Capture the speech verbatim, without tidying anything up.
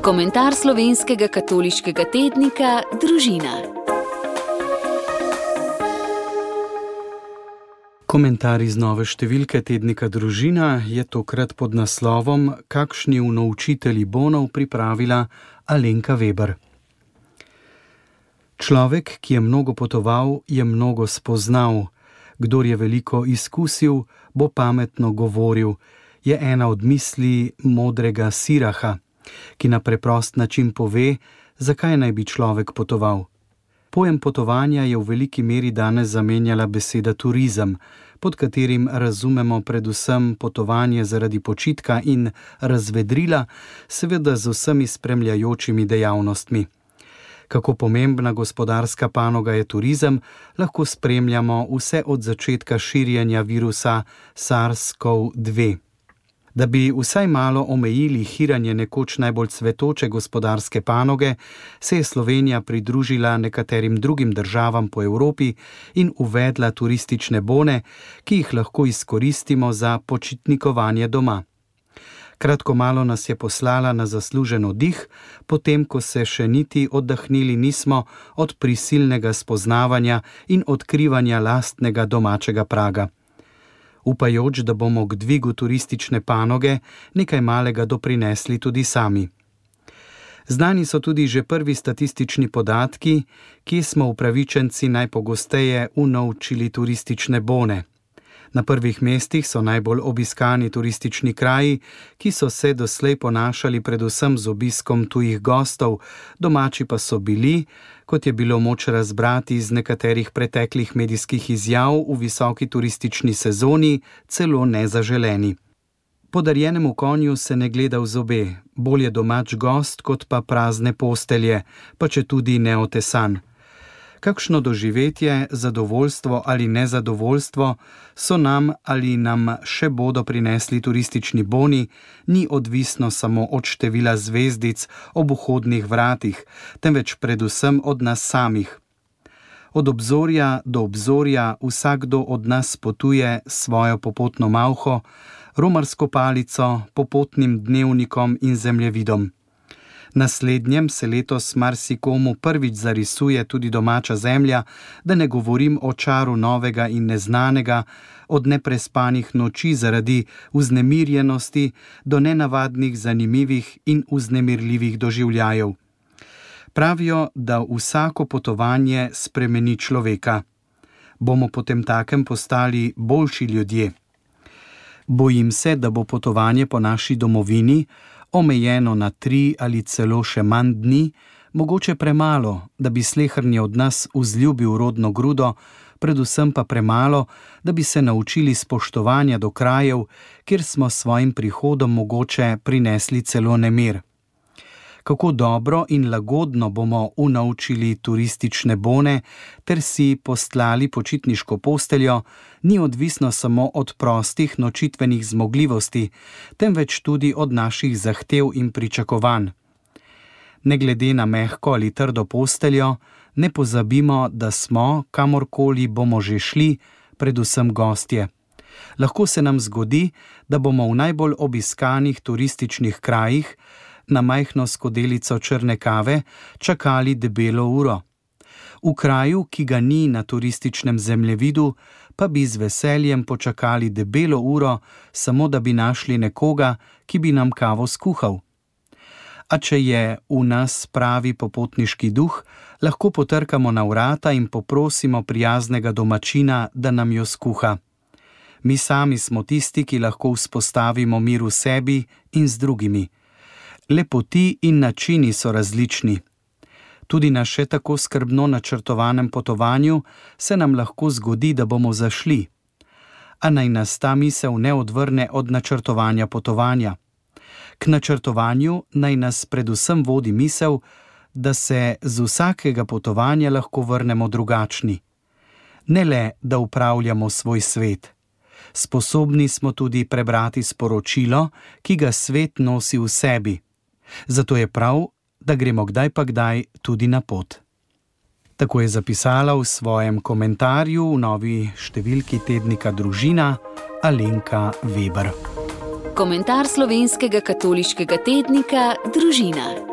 Komentar slovenskega katoliškega tednika Družina. Komentar iz nove številke tednika Družina je tokrat pod naslovom Kakšni unovčitelji bonov pripravila Alenka Veber. Človek, ki je mnogo potoval, je mnogo spoznal. Kdor je veliko izkusil, bo pametno govoril, je ena od misli modrega Siraha, ki na preprost način pove, zakaj naj bi človek potoval. Pojem potovanja je v veliki meri danes zamenjala beseda turizem, pod katerim razumemo predvsem potovanje zaradi počitka in razvedrila, seveda z vsemi spremljajočimi dejavnostmi. Kako pomembna gospodarska panoga je turizem, lahko spremljamo vse od začetka širjenja virusa SARS-CoV dve. Da bi vsaj malo omejili hiranje nekoč najbolj cvetoče gospodarske panoge, se je Slovenija pridružila nekaterim drugim državam po Evropi in uvedla turistične bone, ki jih lahko izkoristimo za počitnikovanje doma. Kratko malo nas je poslala na zaslužen oddih, potem ko se še niti oddahnili nismo od prisilnega spoznavanja in odkrivanja lastnega domačega praga. Upajoč, da bomo k dvigu turistične panoge nekaj malega doprinesli tudi sami. Znani so tudi že prvi statistični podatki, kje smo upravičenci najpogosteje unovčili turistične bone. Na prvih mestih so najbolj obiskani turistični kraji, ki so se doslej ponašali predvsem z obiskom tujih gostov, domači pa so bili, kot je bilo moč razbrati iz nekaterih preteklih medijskih izjav v visoki turistični sezoni, celo nezaželeni. Podarjenemu konju se ne gleda v zobe, bolje domač gost kot pa prazne postelje, pa četudi neotesan. Kakšno doživetje, zadovoljstvo ali nezadovoljstvo so nam ali nam še bodo prinesli turistični boni, ni odvisno samo od števila zvezdic ob vhodnih vratih, temveč predvsem od nas samih. Od obzorja do obzorja vsakdo od nas potuje svojo popotno malho, romarsko palico, popotnim dnevnikom in zemljevidom. Naslednjem se letos marsikomu prvič zarisuje tudi domača zemlja, da ne govorim o čaru novega in neznanega, od neprespanih noči zaradi vznemirjenosti do nenavadnih, zanimivih in vznemirljivih doživljajev. Pravijo, da vsako potovanje spremeni človeka. Bomo potemtakem postali boljši ljudje. Bojim se, da bo potovanje po naši domovini omejeno na tri ali celo še manj dni, mogoče premalo, da bi sleherni od nas vzljubil rodno grudo, predvsem pa premalo, da bi se naučili spoštovanja do krajev, kjer smo s svojim prihodom mogoče prinesli celo nemir. Kako dobro in lagodno bomo unovčili turistične bone ter si postlali počitniško posteljo, ni odvisno samo od prostih nočitvenih zmogljivosti, temveč tudi od naših zahtev in pričakovanj. Ne glede na mehko ali trdo posteljo, ne pozabimo, da smo, kamorkoli bomo že šli, predvsem gostje. Lahko se nam zgodi, da bomo v najbolj obiskanih turističnih krajih na majhno skodelico črne kave čakali debelo uro. V kraju, ki ga ni na turističnem zemljevidu, pa bi z veseljem počakali debelo uro, samo da bi našli nekoga, ki bi nam kavo skuhal. A če je v nas pravi popotniški duh, lahko potrkamo na vrata in poprosimo prijaznega domačina, da nam jo skuha. Mi sami smo tisti, ki lahko vzpostavimo mir v sebi in z drugimi. Le poti in načini so različni. Tudi na še tako skrbno načrtovanem potovanju se nam lahko zgodi, da bomo zašli. A naj nas ta misel ne odvrne od načrtovanja potovanja. K načrtovanju naj nas predvsem vodi misel, da se z vsakega potovanja lahko vrnemo drugačni. Ne le, da upravljamo svoj svet. Sposobni smo tudi prebrati sporočilo, ki ga svet nosi v sebi. Zato je prav, da gremo kdaj pa kdaj tudi na pot. Tako je zapisala v svojem komentarju v novi številki tednika Družina Alenka Veber. Komentar slovenskega katoliškega tednika Družina.